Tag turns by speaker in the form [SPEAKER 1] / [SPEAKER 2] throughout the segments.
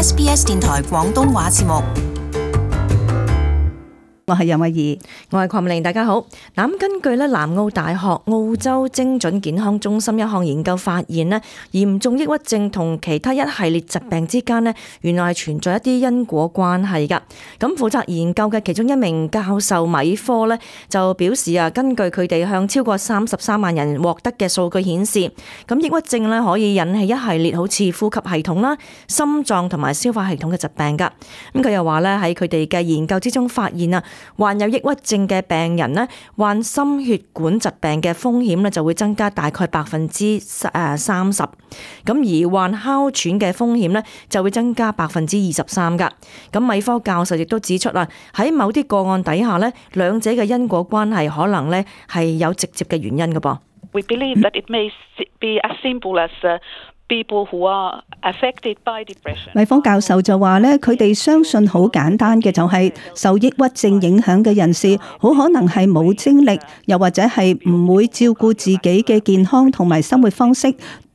[SPEAKER 1] SBS 電台廣東話節目。
[SPEAKER 2] 我係楊慧儀，
[SPEAKER 3] 我係鄺美玲，大家好。咁根據南澳大學澳洲精準健康中心一項研究發現咧，嚴重抑鬱症同其他一系列疾病之間咧，原來係存在一啲因果關係噶。咁負責研究嘅其中一名教授米科咧就表示根據佢哋向超過33萬人獲得嘅數據顯示，咁抑鬱症咧可以引起一系列好似呼吸系統啦、心臟同埋消化系統嘅疾病噶。咁佢又話咧喺佢哋嘅研究之中發現患有抑鬱症嘅病人咧，患心血管疾病嘅風險咧就會增加大概30%，咁而患哮喘嘅風險咧就會增加23%噶。咁米科教授亦都指出喺某啲個案底下咧，兩者嘅因果關係可能咧係有直接嘅原因噶噃。
[SPEAKER 4] We believe that it may be as simple as people who are affected by depression。
[SPEAKER 2] 米科教授就話咧，佢哋相信好簡單嘅就係受抑鬱症影響嘅人士，好可能係冇精力，又或者係唔會照顧自己嘅健康同埋生活方式，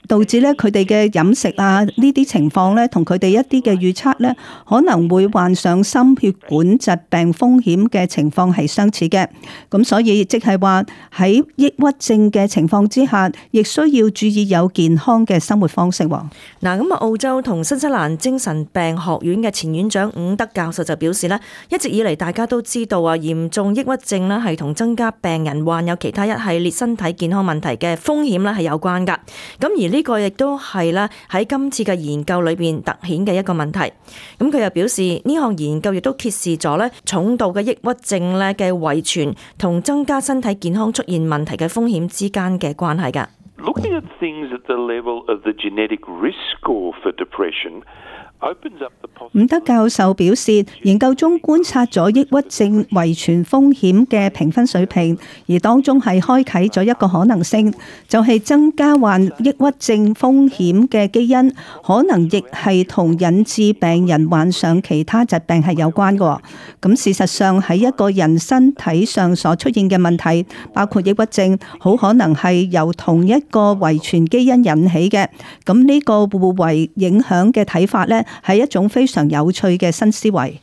[SPEAKER 2] 導致咧佢哋嘅飲食呢啲情況咧，同佢哋一啲嘅預測咧，可能會患上心血管疾病風險嘅情況係相似嘅。咁所以即係話喺抑鬱症嘅情況之下，亦需要注意有健康嘅生活方式。
[SPEAKER 3] 咁澳洲同新西蘭精神病學院嘅前院長伍德教授就表示咧，一直以嚟大家都知道嚴重抑鬱症咧係同增加病人患有其他一系列身體健康問題嘅風險咧係有關噶。咁而呢個亦都係咧喺今次嘅研究裏邊凸顯嘅一個問題。咁佢又表示呢項研究亦都揭示咗咧重度嘅抑鬱症咧嘅遺傳同增加身體健康出現問題嘅風險之間嘅關係噶。
[SPEAKER 5] Looking at things at the level of the genetic risk score for depression opens up the possibility。
[SPEAKER 2] 伍德教授表示，研究中觀察咗抑鬱症遺傳風險嘅評分水平，而當中係開啟咗一個可能性，就係增加患抑鬱症風險嘅基因，可能亦係同引致病人患上其他疾病係有關嘅。咁事實上喺一個人身體上所出現嘅問題，包括抑鬱症，好可能係由同一個遺傳基因引起嘅。咁呢個互為影響嘅睇法呢，係一種非常有趣嘅新思維。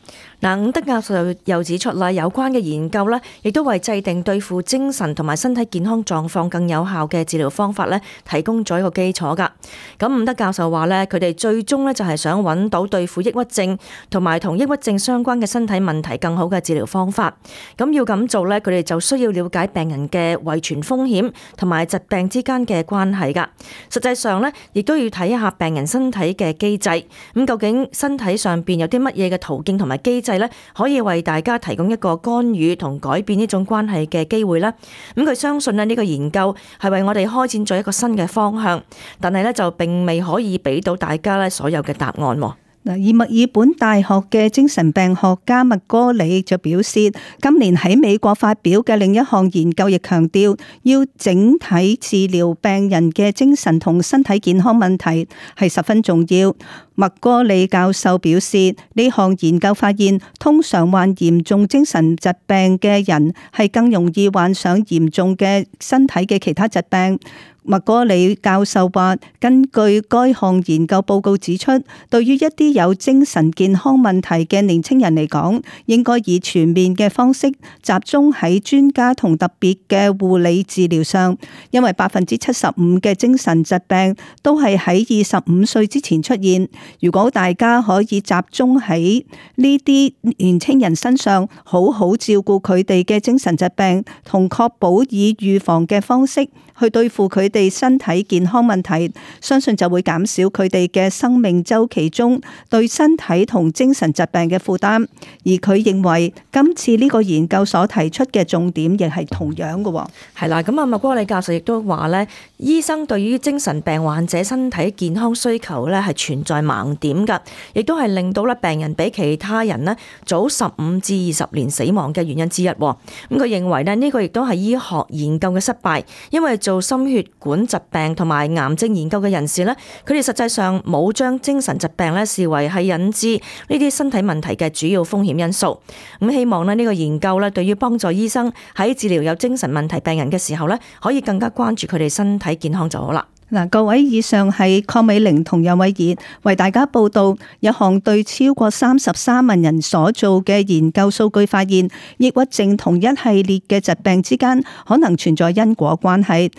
[SPEAKER 3] 伍德教授又指出啦，有關嘅研究咧，亦都為制定對付精神同埋身體健康狀況更有效嘅治療方法咧，提供咗一個基礎噶。咁伍德教授話咧，佢哋最終咧就係想揾到對付抑鬱症同埋同抑鬱症相關嘅身體問題更好嘅治療方法。咁要咁做咧，佢哋就需要了解病人嘅遺傳風險同埋疾病之間嘅關係噶。實際上咧，亦都要睇一下病人身體嘅機制。咁究竟身體上邊有啲乜嘢嘅途徑同埋機制可以為大家提供一個干預同改變呢種關係嘅機會啦。咁佢相信呢個研究係為我哋開展咗一個新嘅方向，但係呢就並未可以俾到大家所有嘅答案。
[SPEAKER 2] 而墨爾本大學嘅精神病學家麥哥里就表示，今年喺美國發表嘅另一項研究亦強調，要整體治療病人嘅精神同身體健康問題係十分重要。麥哥里教授表示，呢項研究發現，通常患嚴重精神疾病嘅人係更容易患上嚴重嘅身體嘅其他疾病。麥哥里教授話，根據該項研究報告指出，對於一啲有精神健康問題嘅年輕人嚟講，應該以全面嘅方式集中喺專家同特別嘅護理治療上，因為75%嘅精神疾病都係喺25歲之前出現。如果大家可以集中喺呢啲年輕人身上，好好照顧佢哋嘅精神疾病，同確保以預防嘅方式去對付佢哋身體健康問題，相信就會減少佢哋嘅生命週期中對身體同精神疾病嘅負擔。而佢認為今次呢個研究所提出嘅重點亦係同樣嘅。
[SPEAKER 3] 係啦，咁麥哥里教授亦都話咧，醫生對於精神病患者身體健康需求咧係存在盲點㗎，亦都係令到咧病人比其他人咧早15至20年死亡嘅原因之一。咁佢認為咧呢個亦都係醫學研究嘅失敗，因為做心血管疾病同埋癌症研究嘅人士咧，佢哋實際上冇將精神疾病咧視為係引致呢啲身體問題嘅主要風險因素。咁希望咧呢個研究咧對於幫助醫生喺治療有精神問題病人嘅時候咧，可以更加關注佢哋身體健康就好啦。
[SPEAKER 2] 嗱，各位，以上係鄺美玲同楊偉儀為大家報道一項對超過33萬人所做嘅研究數據發現，抑鬱症同一系列嘅疾病之間可能存在因果關係。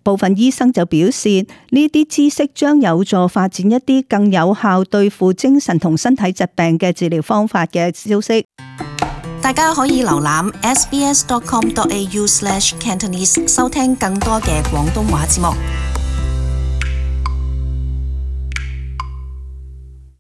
[SPEAKER 2] 部分醫生就表示，呢啲知識將有助發展一啲更有效對付精神同身體疾病嘅治療方法嘅消息。
[SPEAKER 1] 大家可以瀏覽 sbs.com.au/Cantonese 收聽更多嘅廣東話節目。